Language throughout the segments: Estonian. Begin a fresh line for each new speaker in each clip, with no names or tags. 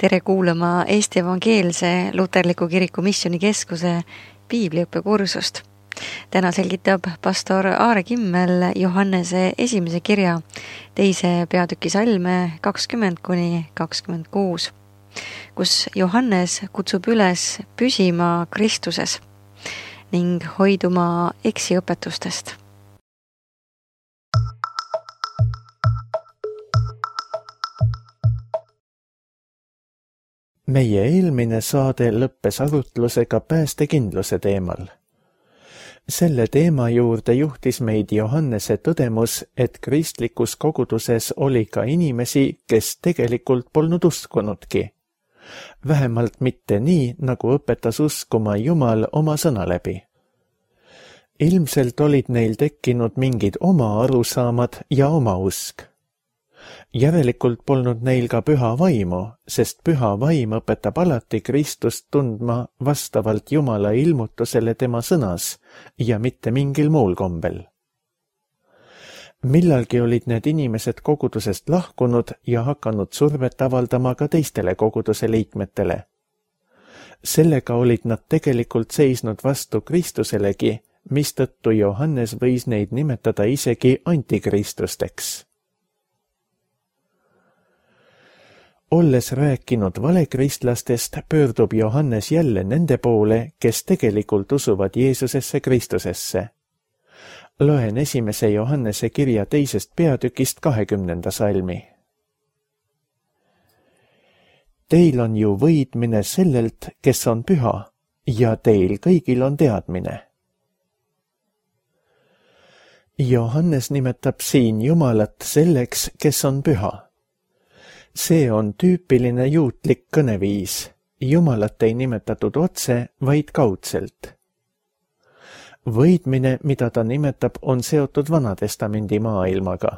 Tere kuulama Eesti Evangeelse Luterliku Kiriku Missioonikeskuse piibliõppekursust. Täna selgitab pastor Aare Kimmel Johannese esimese kirja 2. peatüki salme 20-26, kus Johannes kutsub üles püsima Kristuses ning hoiduma eksiõpetustest.
Meie eelmine saade lõppes arutlusega päästekindluse teemal. Selle teema juurde juhtis meid Johannese tõdemus, et kristlikus koguduses oli ka inimesi, kes tegelikult polnud uskunudki. Vähemalt mitte nii, nagu õpetas uskuma Jumal oma sõna läbi. Ilmselt olid neil tekkinud mingid oma arusaamad ja oma usk. Järelikult polnud neil ka püha vaimu, sest püha vaim õpetab alati Kristust tundma vastavalt Jumala ilmutusele tema sõnas ja mitte mingil muul kombel. Millalgi olid need inimesed kogudusest lahkunud ja hakanud survet avaldama ka teistele koguduse liikmetele. Sellega olid nad tegelikult seisnud vastu Kristuselegi, mistõttu Johannes võis neid nimetada isegi antikristusteks. Olles rääkinud valekristlastest, pöördub Johannes jälle nende poole, kes tegelikult usuvad Jeesusesse Kristusesse. Loen 1. Johannese kirja 2. peatükist 20. salmi. Teil on ju võidmine sellelt, kes on püha, ja teil kõigil on teadmine. Johannes nimetab siin Jumalat selleks, kes on püha. See on tüüpiline juutlik kõneviis. Jumalat ei nimetatud otse, vaid kaudselt. Võidmine, mida ta nimetab, on seotud Vanatestamendi maailmaga.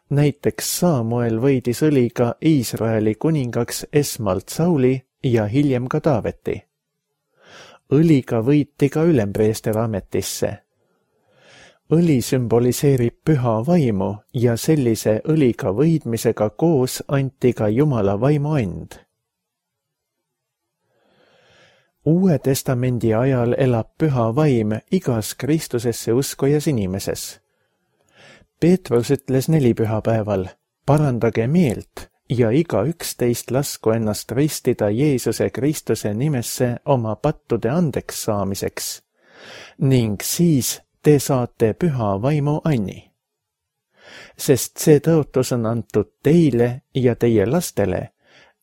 Näiteks Saamuel võidis õliga Iisraeli kuningaks esmalt Sauli ja hiljem ka Taaveti. Õliga võiti ka ülempreester ametisse. Õli sümboliseerib püha vaimu ja sellise õliga võidmisega koos anti ka Jumala vaimu and. Uue testamendi ajal elab püha vaim igas Kristusesse uskujas inimeses. Peetrus ütles 4 pühapäeval, parandage meelt ja igaüks teist lasku ennast ristida Jeesuse Kristuse nimesse oma pattude andeks saamiseks ning siis te saate püha vaimu anni. Sest see tõotus on antud teile ja teie lastele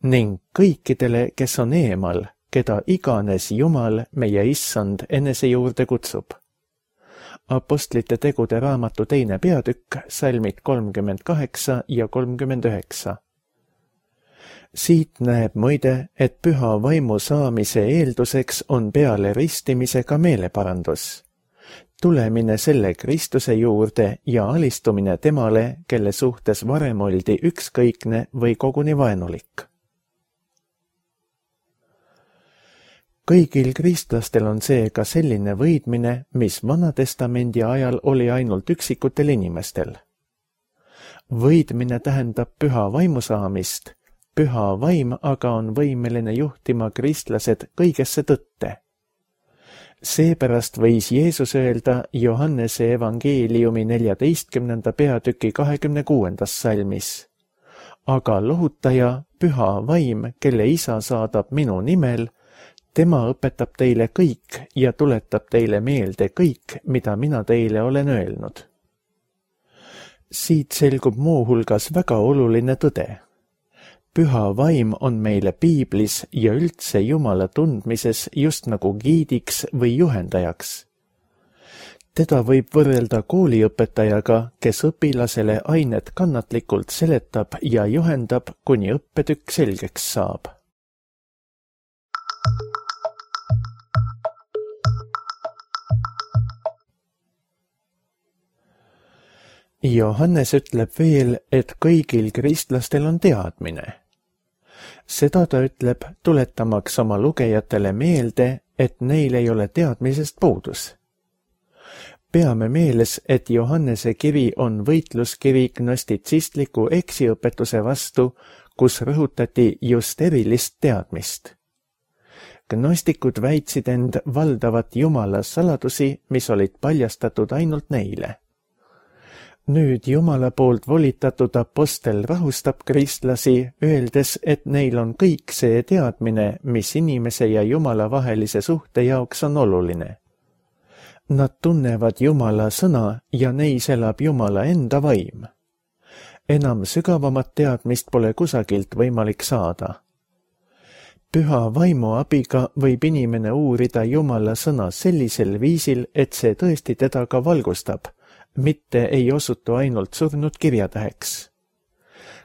ning kõikidele, kes on eemal, keda iganes Jumal, meie issand, enese juurde kutsub. Apostlite tegude raamatu 2. peatükk, salmid 38 ja 39. Siit näeb muide, et püha vaimu saamise eelduseks on peale ristimisega meeleparandus. Tulemine selle Kristuse juurde ja alistumine temale, kelle suhtes varem oldi ükskõikne või koguni vaenulik. Kõigil kristlastel on seega selline võidmine, mis Vanatestamendi ajal oli ainult üksikutel inimestel. Võidmine tähendab püha vaimu saamist, püha vaim aga on võimeline juhtima kristlased kõigesse tõtte. Seepärast võis Jeesus öelda Johannese evangeeliumi 14. peatüki 26. salmis. Aga lohutaja, püha vaim, kelle isa saadab minu nimel, tema õpetab teile kõik ja tuletab teile meelde kõik, mida mina teile olen öelnud. Siit selgub muuhulgas väga oluline tõde. Püha vaim on meile piiblis ja üldse Jumala tundmises just nagu giidiks või juhendajaks. Teda võib võrrelda kooliõpetajaga, kes õpilasele ainet kannatlikult seletab ja juhendab, kuni õppetükk selgeks saab. Johannes ütleb veel, et kõigil kristlastel on teadmine. Seda ta ütleb, tuletamaks oma lugejatele meelde, et neil ei ole teadmisest puudus. Peame meeles, et Johannese kiri on võitluskiri gnostitsistliku eksiõpetuse vastu, kus rõhutati just erilist teadmist. Gnostikud väitsid end valdavat Jumala saladusi, mis olid paljastatud ainult neile. Nüüd Jumala poolt volitatud apostel rahustab kristlasi, öeldes, et neil on kõik see teadmine, mis inimese ja Jumala vahelise suhte jaoks on oluline. Nad tunnevad Jumala sõna ja neis elab Jumala enda vaim. Enam sügavamat teadmist pole kusagilt võimalik saada. Püha vaimu abiga võib inimene uurida Jumala sõna sellisel viisil, et see tõesti teda ka valgustab, mitte ei osutu ainult surnud kirjatäheks.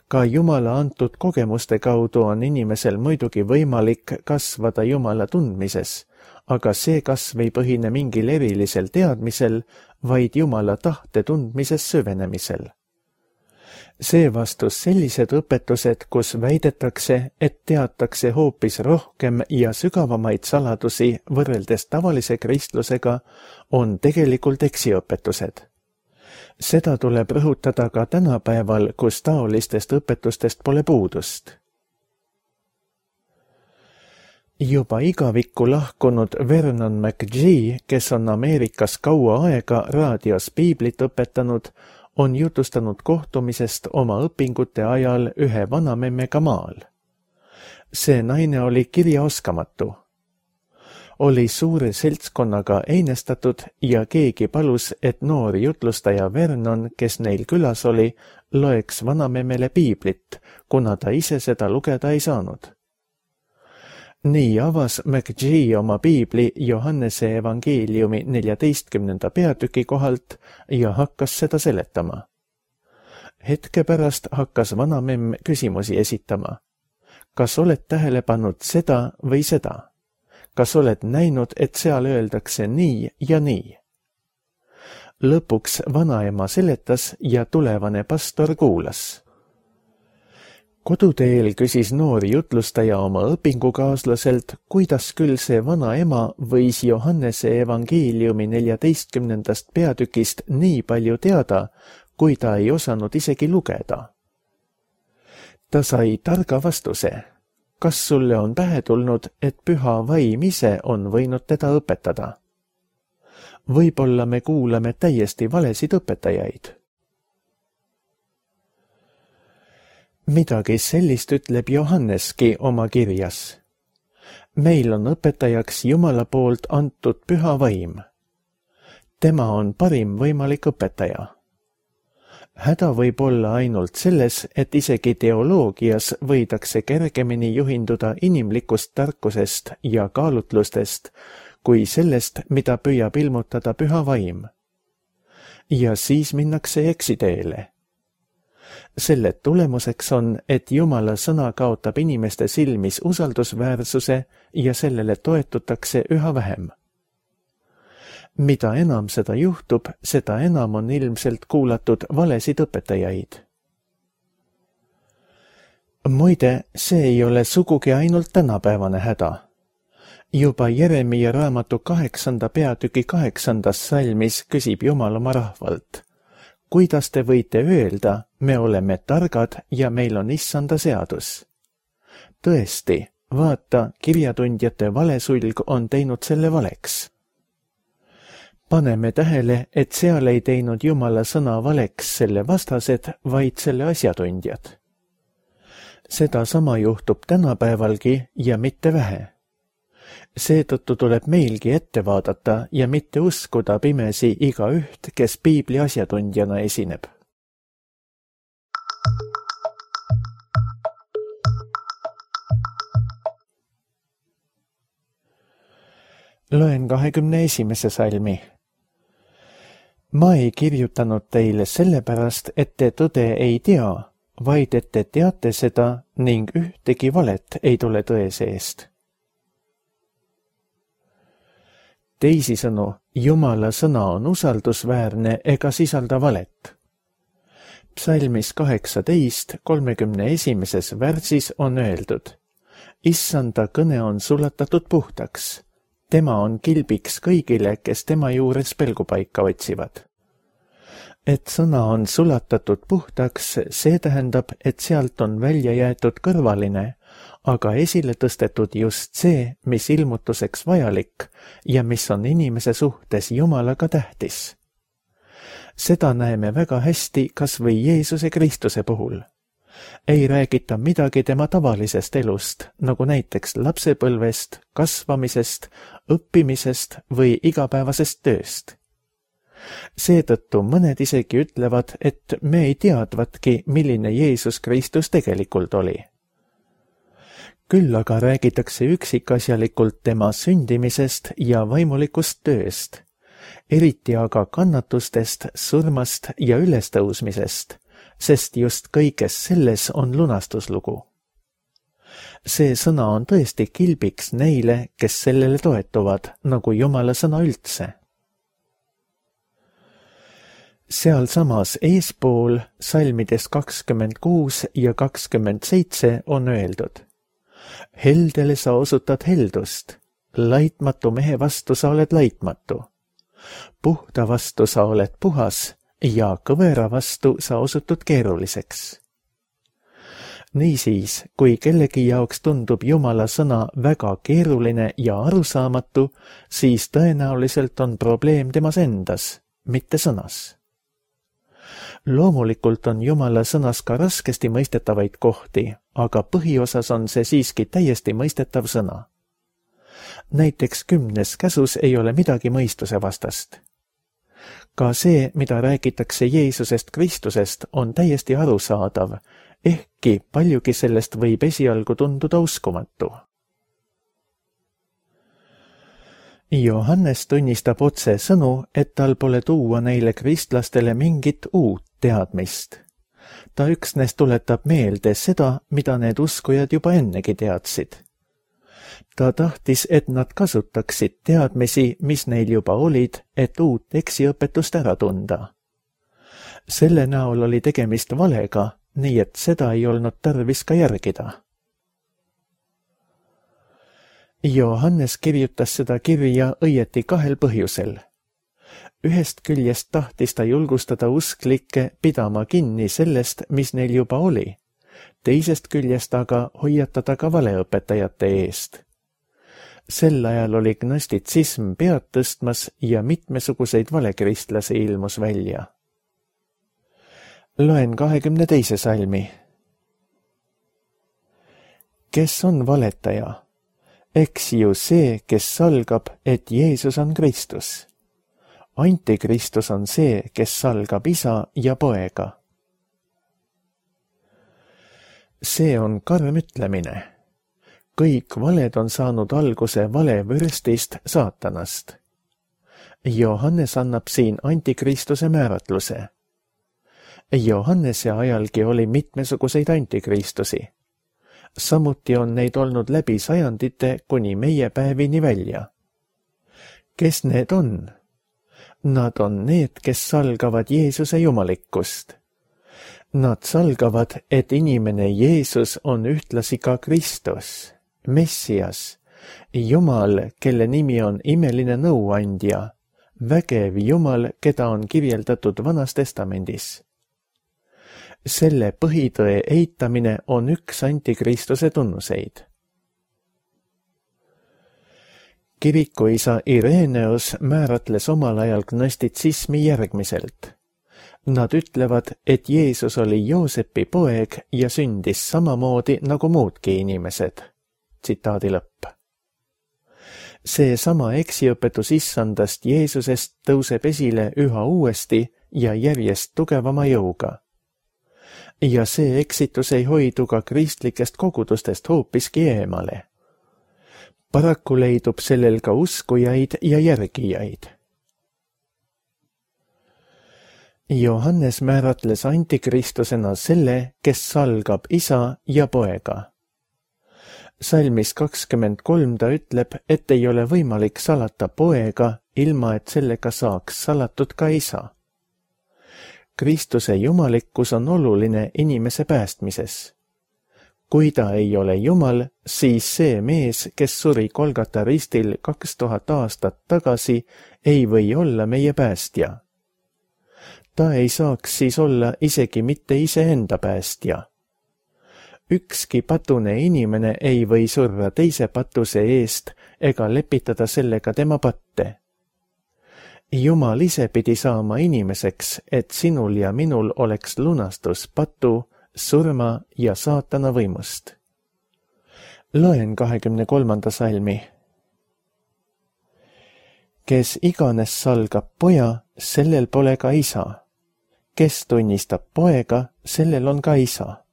Ka Jumala antud kogemuste kaudu on inimesel muidugi võimalik kasvada Jumala tundmises, aga see kasv ei põhine mingil erilisel teadmisel, vaid Jumala tahte tundmises süvenemisel. Seevastus sellised õpetused, kus väidetakse, et teatakse hoopis rohkem ja sügavamaid saladusi võrreldes tavalise kristlusega, on tegelikult eksiõpetused. Seda tuleb rõhutada ka tänapäeval, kus taolistest õpetustest pole puudust. Juba igavikku lahkunud Vernon McGee, kes on Ameerikas kaua aega raadios piiblit õpetanud, on jutustanud kohtumisest oma õpingute ajal ühe vanamemmega maal. See naine oli kirjaoskamatu. Oli suure seltskonnaga einestatud ja keegi palus, et noor jutlustaja Vernon, kes neil külas oli, loeks vanamemmele piiblit, kuna ta ise seda lugeda ei saanud. Nii avas McGee oma piibli Johannese evangeeliumi 14. peatüki kohalt ja hakkas seda seletama. Hetke pärast hakkas vanamemm küsimusi esitama. Kas oled tähele pannud seda või seda? Kas oled näinud, et seal öeldakse nii ja nii? Lõpuks vanaema seletas ja tulevane pastor kuulas. Koduteel küsis noor jutlustaja oma õpingukaaslaselt, kuidas küll see vanaema võis Johannese evangeeliumi 14. peatükist nii palju teada, kui ta ei osanud isegi lugeda. Ta sai targa vastuse. Kas sulle on pähe tulnud, et püha vaim ise on võinud teda õpetada? Võib-olla me kuulame täiesti valesid õpetajaid. Midagi sellist ütleb Johanneski oma kirjas. Meil on õpetajaks Jumala poolt antud püha vaim. Tema on parim võimalik õpetaja. Häda võib olla ainult selles, et isegi teoloogias võidakse kergemini juhinduda inimlikust tarkusest ja kaalutlustest, kui sellest, mida püüab ilmutada püha vaim. Ja siis minnakse eksiteele. Selle tulemuseks on, et Jumala sõna kaotab inimeste silmis usaldusväärsuse ja sellele toetutakse üha vähem. Mida enam seda juhtub, seda enam on ilmselt kuulatud valesid õpetajaid. Muide, see ei ole sugugi ainult tänapäevane häda. Juba Jeremia raamatu 8. peatüki 8. salmis küsib Jumal oma rahvalt. Kuidas te võite öelda, me oleme targad ja meil on issanda seadus? Tõesti, vaata, kirjatundjate valesulg on teinud selle valeks. Paneme tähele, et seal ei teinud Jumala sõna valeks selle vastased, vaid selle asjatundjad. Seda sama juhtub tänapäevalgi ja mitte vähe. Seetõttu tuleb meilgi ette vaadata ja mitte uskuda pimesi igaüht, kes piibli asjatundjana esineb. Loen 21. salmi. Ma ei kirjutanud teile sellepärast, et te tõde ei tea, vaid et te teate seda ning ühtegi valet ei tule tõe seest. Teisisõnu, Jumala sõna on usaldusväärne ega sisalda valet. Psalmis 18, 31. värsis on öeldud: Issanda kõne on sulatatud puhtaks. Tema on kilbiks kõigile, kes tema juures pelgupaika otsivad. Et sõna on sulatatud puhtaks, see tähendab, et sealt on välja jäetud kõrvaline, aga esile tõstetud just see, mis ilmutuseks vajalik ja mis on inimese suhtes Jumalaga tähtis. Seda näeme väga hästi kas või Jeesuse Kristuse puhul. Ei räägita midagi tema tavalisest elust, nagu näiteks lapsepõlvest, kasvamisest, õppimisest või igapäevasest tööst. Seetõttu mõned isegi ütlevad, et me ei teadvatki, milline Jeesus Kristus tegelikult oli. Küll aga räägitakse üksikasjalikult tema sündimisest ja vaimulikust tööst, eriti aga kannatustest, surmast ja ülestõusmisest, sest just kõiges selles on lunastuslugu. See sõna on tõesti kilbiks neile, kes sellele toetuvad, nagu Jumala sõna üldse. Sealsamas eespool salmides 26 ja 27 on öeldud: Heldele sa osutad heldust, laitmatu mehe vastu sa oled laitmatu, puhta vastu sa oled puhas ja kõvera vastu sa osutud keeruliseks. Niisiis, kui kellegi jaoks tundub Jumala sõna väga keeruline ja arusaamatu, siis tõenäoliselt on probleem temas endas, mitte sõnas. Loomulikult on Jumala sõnas ka raskesti mõistetavaid kohti, aga põhiosas on see siiski täiesti mõistetav sõna. Näiteks 10. käsus ei ole midagi mõistuse vastast. Ka see, mida räägitakse Jeesusest Kristusest, on täiesti arusaadav, ehkki paljugi sellest võib esialgu tunduda uskumatu. Johannes tunnistab otse sõnu, et tal pole tuua neile kristlastele mingit uut teadmist. Ta üksnes tuletab meelde seda, mida need uskujad juba ennegi teadsid. Ta tahtis, et nad kasutaksid teadmisi, mis neil juba olid, et uut eksiõpetust ära tunda. Selle näol oli tegemist valega, nii et seda ei olnud tarvis ka järgida. Johannes kirjutas seda kirja õieti 2 põhjusel. Ühest küljest tahtis ta julgustada usklikke pidama kinni sellest, mis neil juba oli, teisest küljest aga hoiatada ka valeõpetajate eest. Sel ajal oli gnostitsism pead tõstmas ja mitmesuguseid valekristlasi ilmus välja. Loen 22. salmi. Kes on valetaja? Eks ju see, kes salgab, et Jeesus on Kristus. Antikristus on see, kes salgab isa ja poega. See on karm ütlemine. Kõik valed on saanud alguse valevürstist saatanast. Johannes annab siin antikristuse määratluse. Johannese ajalgi oli mitmesuguseid antikristusi. Samuti on neid olnud läbi sajandite kuni meie päevini välja. Kes need on? Nad on need, kes salgavad Jeesuse jumalikkust. Nad salgavad, et inimene Jeesus on ühtlasi ka Kristus, Messias, Jumal, kelle nimi on imeline nõuandja, vägev Jumal, keda on kirjeldatud Vanas Testamendis. Selle põhitõe eitamine on üks antikristuse tunnuseid. Kirikuisa Ireneus määratles omal ajal gnostitsismi järgmiselt. Nad ütlevad, et Jeesus oli Joosepi poeg ja sündis samamoodi nagu muudki inimesed. Tsitaadi lõpp. See sama eksiõpetus issandast Jeesusest tõuseb esile üha uuesti ja järjest tugevama jõuga. Ja see eksitus ei hoidu ka kristlikest kogudustest hoopiski eemale. Paraku leidub sellel ka uskujaid ja järgijaid. Johannes määratles antikristusena selle, kes salgab isa ja poega. Salmis 23 ta ütleb, et ei ole võimalik salata poega, ilma et sellega saaks salatud ka isa. Kristuse jumalikkus on oluline inimese päästmises. Kui ta ei ole Jumal, siis see mees, kes suri Golgata ristil 2000 aastat tagasi, ei või olla meie päästja. ta ei saaks siis olla isegi mitte iseenda päästja. Ükski patune inimene ei või surra teise patuse eest ega lepitada sellega tema patte. Jumal ise pidi saama inimeseks, et sinul ja minul oleks lunastus patu, surma ja saatana võimust. Loen 23. salmi. Kes iganes salgab poja, sellel pole ka isa. Kes tunnistab poega, sellel on ka isa.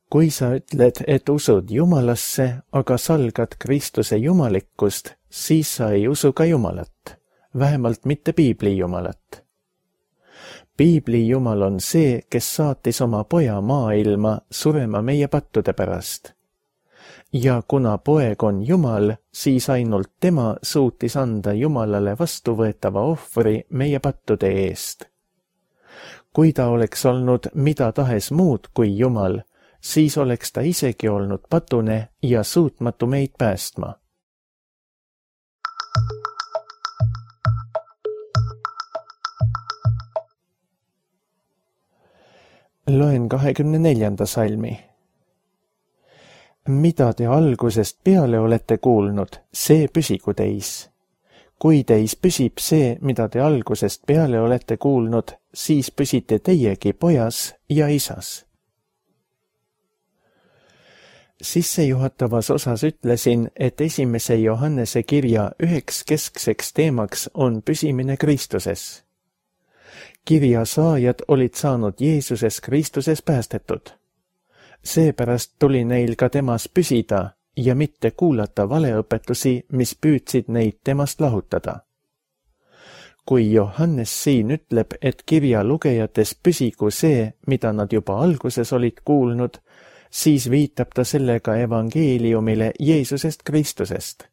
Kui sa ütled, et usud Jumalasse, aga salgad Kristuse jumalikkust, siis sa ei usu ka Jumalat, vähemalt mitte Piibli Jumalat. Piibli Jumal on see, kes saatis oma poja maailma surema meie pattude pärast. Ja kuna poeg on Jumal, siis ainult tema suutis anda Jumalale vastuvõetava ohvri meie pattude eest. Kui ta oleks olnud mida tahes muud kui Jumal, siis oleks ta isegi olnud patune ja suutmatu meid päästma. Loen 24. salmi. Mida te algusest peale olete kuulnud, see püsigu teis. Kui teis püsib see, mida te algusest peale olete kuulnud, siis püsite teiegi pojas ja isas. Sissejuhatavas osas ütlesin, et 1. Johannese kirja üheks keskseks teemaks on püsimine Kristuses. Kirja saajad olid saanud Jeesuses Kristuses päästetud. Seepärast tuli neil ka temas püsida ja mitte kuulata valeõpetusi, mis püüdsid neid temast lahutada. Kui Johannes siin ütleb, et kirja lugejates püsigu see, mida nad juba alguses olid kuulnud, siis viitab ta sellega evangeeliumile Jeesusest Kristusest.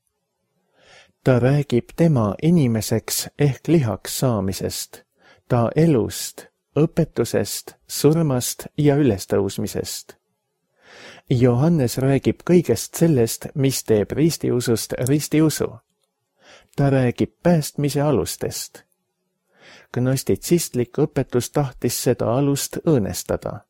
Ta räägib tema inimeseks ehk lihaks saamisest, ta elust, õpetusest, surmast ja ülestõusmisest. Johannes räägib kõigest sellest, mis teeb ristiusust ristiusu. Ta räägib päästmise alustest. Gnostitsistlik õpetus tahtis seda alust õõnestada.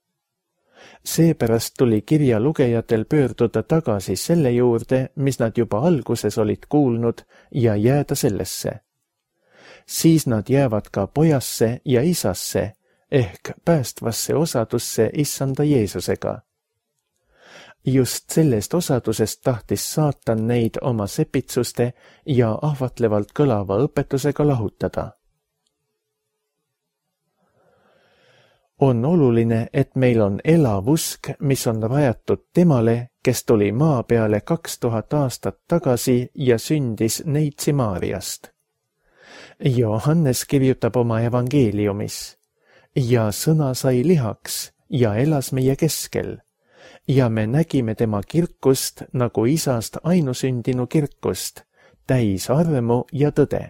Seepärast tuli kirja lugejatel pöörduda tagasi selle juurde, mis nad juba alguses olid kuulnud, ja jääda sellesse. Siis nad jäävad ka pojasse ja isasse ehk päästvasse osadusse issanda Jeesusega. Just sellest osadusest tahtis saatan neid oma sepitsuste ja ahvatlevalt kõlava õpetusega lahutada. On oluline, et meil on elav usk, mis on rajatud temale, kes tuli maa peale 2000 aastat tagasi ja sündis Neitsi Maariast. Johannes kirjutab oma evangeeliumis. Ja sõna sai lihaks ja elas meie keskel. Ja me nägime tema kirkust nagu isast ainusündinu kirkust, täis armu ja tõde.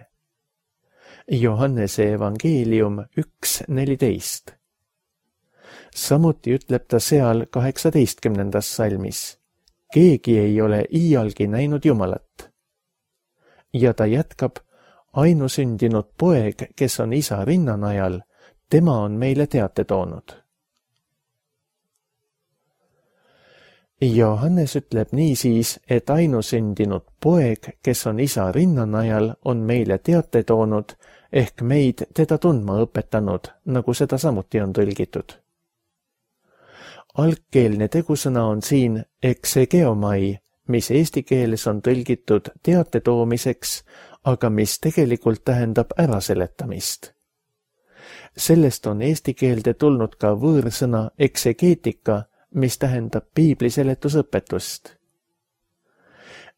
Johannese evangeelium 1.14. Samuti ütleb ta seal 18. salmis. Keegi ei ole iialgi näinud Jumalat. Ja ta jätkab, ainusündinud poeg, kes on isa rinnanajal, tema on meile teate toonud. Johannes ütleb niisiis, et ainusündinud poeg, kes on isa rinnanajal, on meile teate toonud, ehk meid teda tundma õpetanud, nagu seda samuti on tõlgitud. Algkeelne tegusõna on siin exegeomai, mis eesti keeles on tõlgitud teate toomiseks, aga mis tegelikult tähendab äraseletamist. Sellest on eesti keelde tulnud ka võõrsõna exegeetika, mis tähendab piibli seletusõpetust.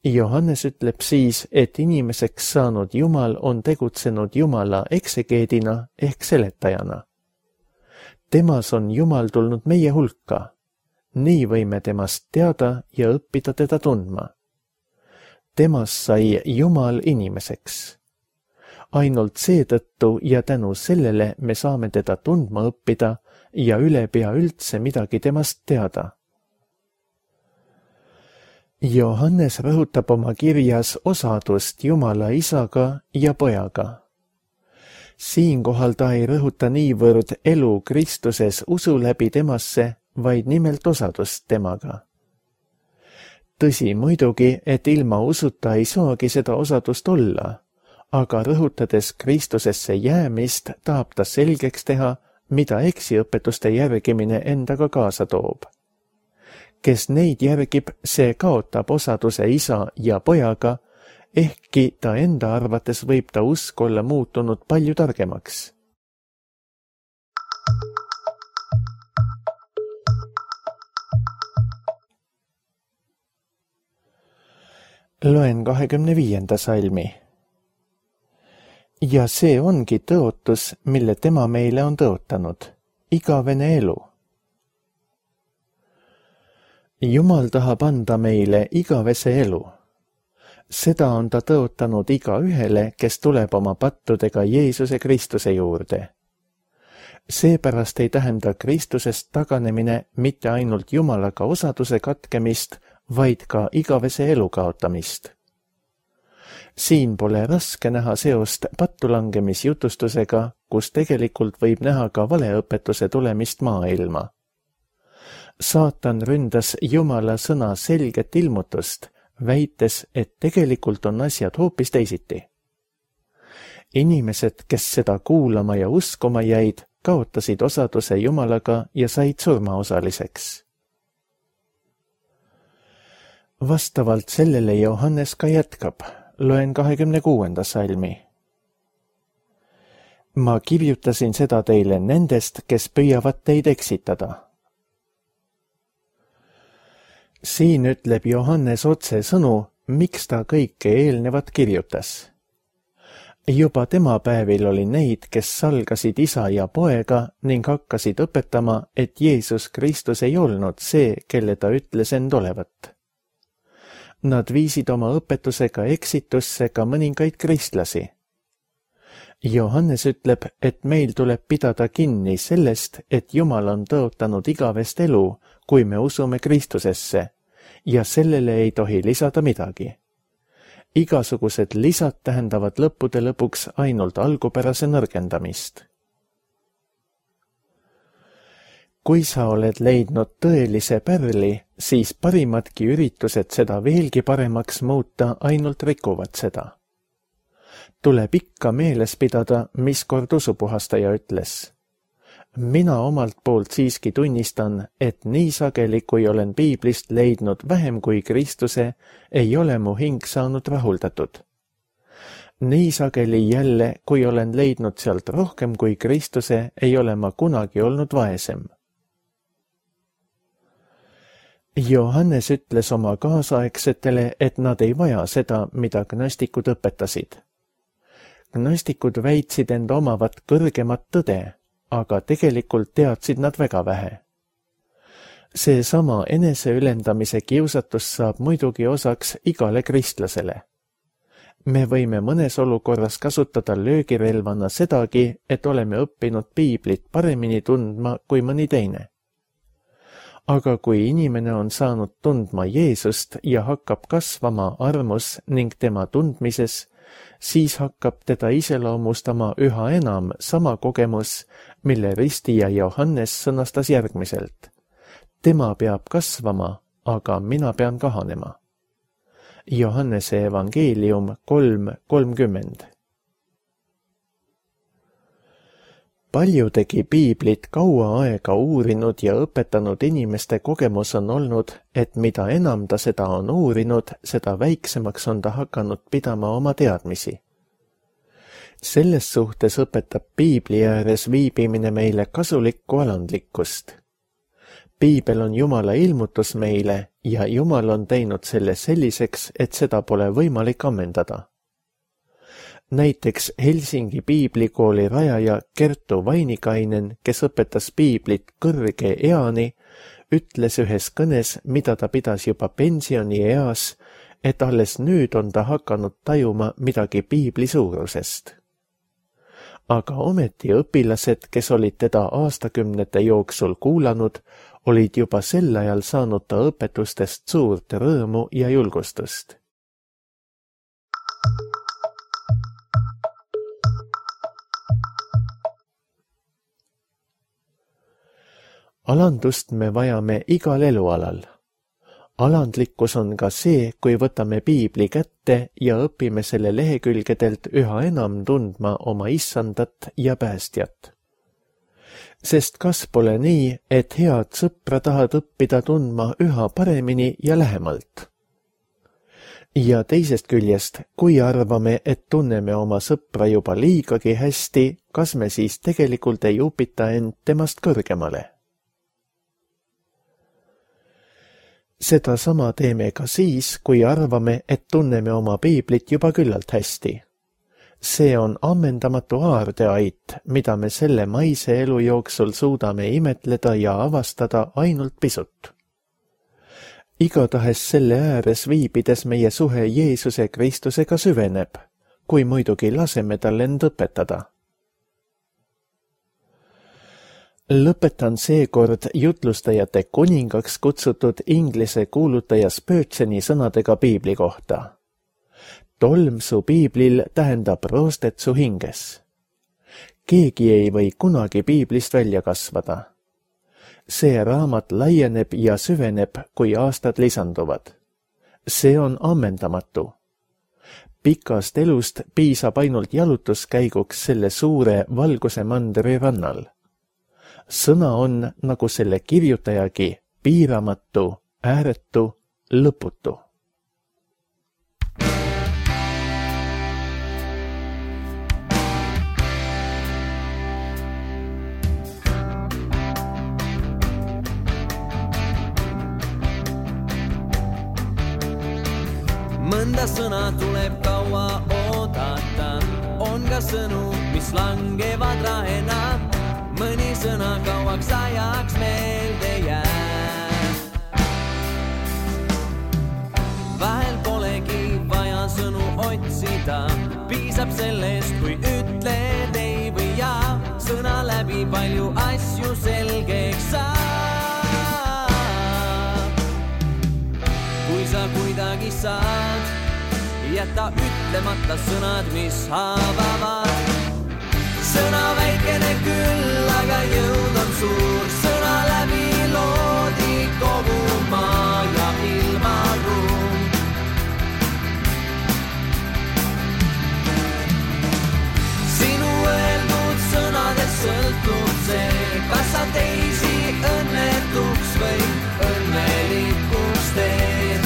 Johannes ütleb siis, et inimeseks saanud Jumal on tegutsenud Jumala eksegeedina ehk seletajana. Temas on Jumal tulnud meie hulka. Nii võime temast teada ja õppida teda tundma. Temas sai Jumal inimeseks. Ainult seetõttu ja tänu sellele me saame teda tundma õppida ja üle pea üldse midagi temast teada. Johannes rõhutab oma kirjas osadust Jumala isaga ja pojaga. Siinkohal ta ei rõhuta niivõrd elu Kristuses usu läbi temasse, vaid nimelt osadust temaga. Tõsi muidugi, et ilma usuta ei saagi seda osadust olla, aga rõhutades Kristusesse jäämist, tahab ta selgeks teha, mida eksiõpetuste järgimine endaga kaasa toob. Kes neid järgib, see kaotab osaduse isa ja pojaga, ehkki ta enda arvates võib ta usk olla muutunud palju targemaks. Loen 25. salmi. Ja see ongi tõotus, mille tema meile on tõotanud, igavene elu. Jumal tahab anda meile igavese elu. Seda on ta tõotanud igaühele, kes tuleb oma pattudega Jeesuse Kristuse juurde. Seepärast ei tähenda Kristusest taganemine mitte ainult Jumalaga osaduse katkemist, vaid ka igavese elu kaotamist. Siin pole raske näha seost pattulangemisjutustusega, kus tegelikult võib näha ka valeõpetuse tulemist maailma. Saatan ründas Jumala sõna selget ilmutust, väites, et tegelikult on asjad hoopis teisiti. Inimesed, kes seda kuulama ja uskuma jäid, kaotasid osaduse Jumalaga ja said surmaosaliseks. Vastavalt sellele Johannes ka jätkab. Loen 26. salmi. Ma kirjutasin seda teile nendest, kes püüavad teid eksitada. Siin ütleb Johannes otse sõnu, miks ta kõike eelnevat kirjutas. Juba tema päevil oli neid, kes salgasid isa ja poega ning hakkasid õpetama, et Jeesus Kristus ei olnud see, kelle ta ütles end olevat. Nad viisid oma õpetusega eksitusse ka mõningaid kristlasi. Johannes ütleb, et meil tuleb pidada kinni sellest, et Jumal on tõotanud igavest elu, kui me usume Kristusesse, ja sellele ei tohi lisada midagi. Igasugused lisad tähendavad lõppude lõpuks ainult algupärase nõrgendamist. Kui sa oled leidnud tõelise pärli, siis parimadki üritused seda veelgi paremaks muuta ainult rikuvad seda. Tuleb ikka meeles pidada, mis kord usupuhastaja ütles. Mina omalt poolt siiski tunnistan, et nii sageli, kui olen piiblist leidnud vähem kui Kristuse, ei ole mu hing saanud rahuldatud. Nii sageli jälle, kui olen leidnud sealt rohkem kui Kristuse, ei ole ma kunagi olnud vaesem. Johannes ütles oma kaasaegsetele, et nad ei vaja seda, mida gnostikud õpetasid. Gnostikud väitsid end omavat kõrgemat tõde, aga tegelikult teadsid nad väga vähe. Seesama eneseülendamise kiusatus saab muidugi osaks igale kristlasele. Me võime mõnes olukorras kasutada löögirelvana sedagi, et oleme õppinud piiblit paremini tundma kui mõni teine. Aga kui inimene on saanud tundma Jeesust ja hakkab kasvama armus ning tema tundmises, siis hakkab teda iseloomustama üha enam sama kogemus, mille ristija Johannes sõnastas järgmiselt. Tema peab kasvama, aga mina pean kahanema. Johannese evangeelium 3:30. Paljudegi piiblit kaua aega uurinud ja õpetanud inimeste kogemus on olnud, et mida enam ta seda on uurinud, seda väiksemaks on ta hakanud pidama oma teadmisi. Selles suhtes õpetab piibli ääres viibimine meile kasulikku alandlikkust. Piibel on Jumala ilmutus meile ja Jumal on teinud selle selliseks, et seda pole võimalik ammendada. Näiteks Helsingi piiblikooli rajaja Kertu Vainikainen, kes õpetas piiblit kõrge eani, ütles ühes kõnes, mida ta pidas juba pensionieas, et alles nüüd on ta hakanud tajuma midagi piibli suurusest. Aga ometi õpilased, kes olid teda aastakümnete jooksul kuulanud, olid juba sel ajal saanud ta õpetustest suurt rõõmu ja julgustust. Alandust me vajame igal elualal. Alandlikkus on ka see, kui võtame piibli kätte ja õpime selle lehekülgedelt üha enam tundma oma issandat ja päästjat. Sest kas pole nii, et head sõpra tahad õppida tundma üha paremini ja lähemalt? Ja teisest küljest, kui arvame, et tunneme oma sõpra juba liigagi hästi, kas me siis tegelikult ei upita end temast kõrgemale? Seda sama teeme ka siis, kui arvame, et tunneme oma piiblit juba küllalt hästi. See on ammendamatu aardeait, mida me selle maise elu jooksul suudame imetleda ja avastada ainult pisut. Igatahes selle ääres viibides meie suhe Jeesuse Kristusega süveneb, kui muidugi laseme tal end õpetada. Lõpetan seekord jutlustajate kuningaks kutsutud inglise kuulutaja Spurgeoni sõnadega piibli kohta. Tolm su piiblil tähendab roostet su hinges. Keegi ei või kunagi piiblist välja kasvada. See raamat laieneb ja süveneb, kui aastad lisanduvad. See on ammendamatu. Pikast elust piisab ainult jalutuskäiguks selle suure valguse mandri rannal. Sõna on, nagu selle kirjutajagi, piiramatu, ääretu, lõputu.
Mõnda sõna tuleb kaua oodata, on ka sõnu, mis langevad rahena. Mõni sõna kauaks ajaks meelde jääb. Vahel polegi vaja sõnu otsida, piisab sellest, kui ütled ei või jaa. Sõna läbi palju asju selgeks saab. Kui sa kuidagi saad, jäta ütlemata sõnad, mis haavavad. Sõna väikene küll, aga jõud on suur. Sõna läbi loodi kogu maa ja ilmaruum. Sinu öeldud sõnadest sõltub see, kas sa teisi õnnetuks või õnnelikuks teed.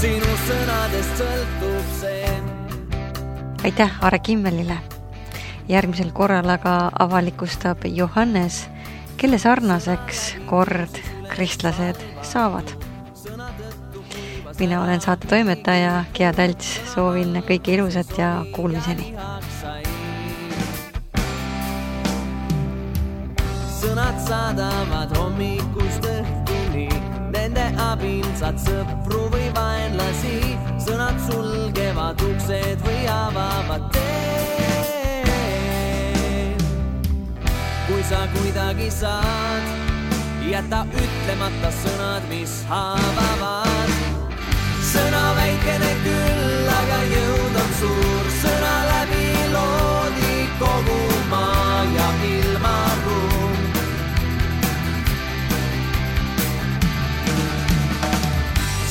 Sinu sõnadest sõltub see.
Aitäh Aare Kimmelile. Järgmisel korral aga avalikustab Johannes, kelle sarnaseks kord kristlased saavad. Mina olen saate toimetaja Gea Talts, soovin kõike ilusat ja kuulmiseni.
Sõnad saadavad hommikust õhtuni, nende abil saad sõpru või vaenlasi. Sõnad sulgevad uksed või avavad teed. Kui sa kuidagi saad, jäta ütlemata sõnad, mis haavavad. Sõna väikene küll, aga jõud on suur. Sõna läbi loodi kogu maa ja ilmaruum.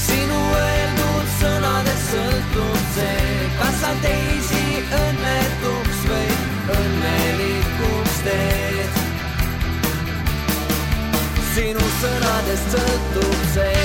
Sinu öeldud sõnadest sõltub see, kas sa teisi õnnetuks või õnnelikuks teed. Sinu sõnadest sõltub see.